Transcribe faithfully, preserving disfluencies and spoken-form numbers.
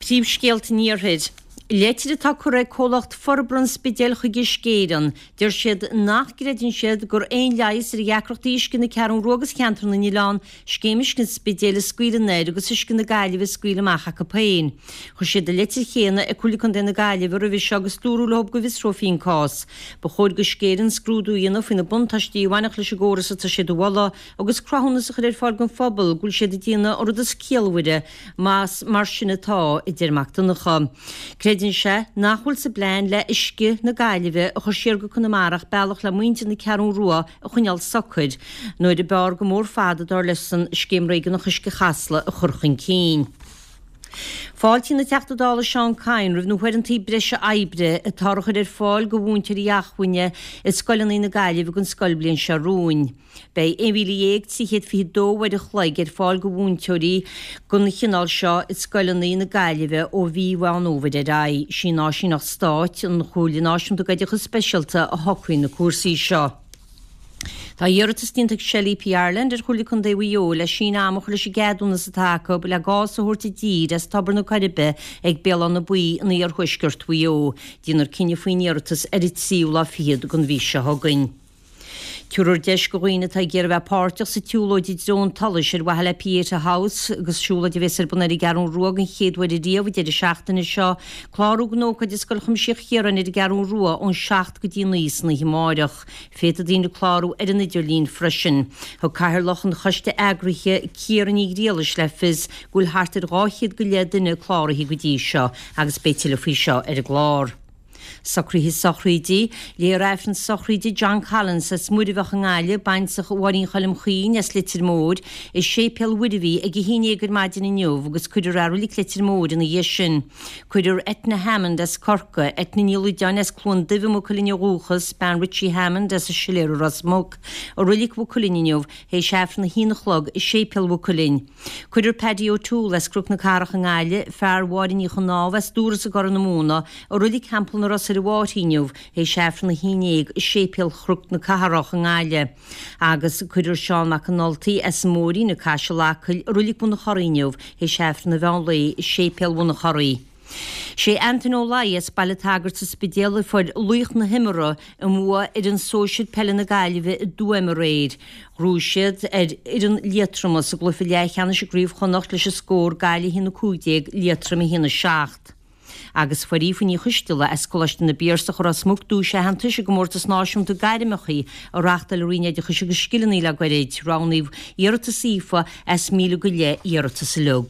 Príomhscéalta an Iarthair. Leitir atá curtha ag comhlacht Forbartha an Spidéil chuig Uisce Éireann. Deir siad nach gcreideann siad gur aon leigheas ar dheacrachtaí uisce na Ceathrún Rua agus cheantar na nOileán, scéim uisce an Spidéil a scaoileadh anoir agus uisce na Gaillimhe a scaoileadh amach acu féin. Chuir siad an leitir chéanna ag Comhairle Contae na Gaillimhe roimhe seo agus dúradh leo go bhfiosrófaí an cás. Ba chóir d'Uisce Éireann scrúdú a dhéanamh faoi na buntáistí a bhainfeadh leis an gcóras atá siad a mholadh agus cruthúnas a chur ar fáil don phobal go bhfuil siad ag déanamh an rud is ciallmhaire más mar sin atá, a deir Mac Donncha. Creideann sé nach bhfuil sa bplean le uisce na Gaillimhe a chur siar go Conamara ach bealach le muintir na Ceathrún Rua a choinneáil socair nuair a b'fhearr go mór fada dar leis-sean Scéim Réigiúnach Uisce Chasla a chur chun cinn. Fáiltíonn an Teachta Dála Seán Kyne roimh na huaireanta breise oibre atá á chur ar fáil do mhúinteoirí acmhainne i scoileanna na Gaillimhe don scoilbhliain seo romhainn. Beidh aon mhíle dhéag trí chéad fiche dó uair a chloig ar fáil do mhúinteoirí den chineál seo i scoileanna na Gaillimhe ó mhí Mheán Fhómhair ar aghaidh. Sí an Áisíneacht Stáit, an Chomhairle Náisiúnta d'Oideachas Speisialta a shocraigh na cúrsaí seo. Tá iarratas déanta ag Shell EP Ireland ar Chomhairle Contae Mhaigh Eo le síneadh ama a chur leis an gceadúnas atá acu le gás a thabhairt i dtír as Tobar na Coiribe ag Béal Átha na Buí in iarthuaisceart Mhaigh Eo. Déanfar cinneadh faoin iarratas ar an tríú lá fichead den mhí seo chugainn. Tabharfar deis do dhaoine atá ag iarraidh bheith páirteach sa tsiúlóid i dtreo an tsolais ar mhaithe le Pieta House agus siúlóid a bheas ar bun ar an gCeathrún Rua den chéad uair riamh an deireadh seachtaine seo, clárú don ócáid i Scoil Chuimsitheach Chiaráin ar an gCeathrún Rua ón seacht go dtí naoi san oíche amárach. Féadfaidh daoine clárú ar an idirlíon freisin. Thug Cathaoirleach an Choiste Eagraithe Ciara Ní Ghriallais le fios go bhfuil thart ar dhá chéad go leith duine cláraithe go dtí seo agus beidh tuilleadh faoi seo ar an gclár. Socruithe sochraide, Léifear Aifreann sochraide John Collins as Muirbheach i nGaillimh, baintreach Mháirín Choilm Chuinn as Leitir Móir, i Séipéal Mhuirbhigh ag a haon déag ar maidin inniu agus cuirfear é i Reilig Leitir Móir ina dhiaidh sin. Cuirfear Etna Hammond as Corcaigh, Etna Ní Loideáin as Cluain Duibh i Maigh Cuilinn ó dhúchas, bean Richie Hammond as an Siléar i Ros Muc, i Reilig Mhaigh Cuilinn inniu théis Aifreann a haon a chlog i Séipéal Mhaigh Cuilinn. Cuirfear Paddy O'Toole as Cnoc na Cathrach i nGaillimh, fear Mháire Ní Chnámha as Dúras i gCorr na Móna, i Reilig Theampall na Ros ar an bhFáirche inniu théis Aifreann a haon déag i Séipéal Chnoc na Cathrach i nGaillimh agus cuirfear Seán Mac an Ultaigh as an Móirín ag Caiseal Acaill i Reilig Bhun an Chorraigh inniu théis Aifreann an mheán lae i Séipéal Bhun an Chorraigh. Sé Antain Ó Laoi as Baile an tSagairt sa Spidéal a fuair laoch na himeartha i mbua fhoireann sóisir peile na Gaillimhe i dTuaim aréir. Ghnóthaigh siad ar fhoireann Liatroma sa gcluiche leathcheannais i gCraobh Chonnacht leis an scór Gaillimh a haon a cúig déag, Liatroim a haon a seacht. Agus fuair Aoife Ní Choisteala as Coláiste na bPiarsach i Ros Muc duais aitheantais i gcomórtas náisiúnta gairmeacha a reáchtáil an Roinn Oideachais agus Scileanna le gairid. Roghnaíodh iarratas Aoife as míle go leith iarratas uilig.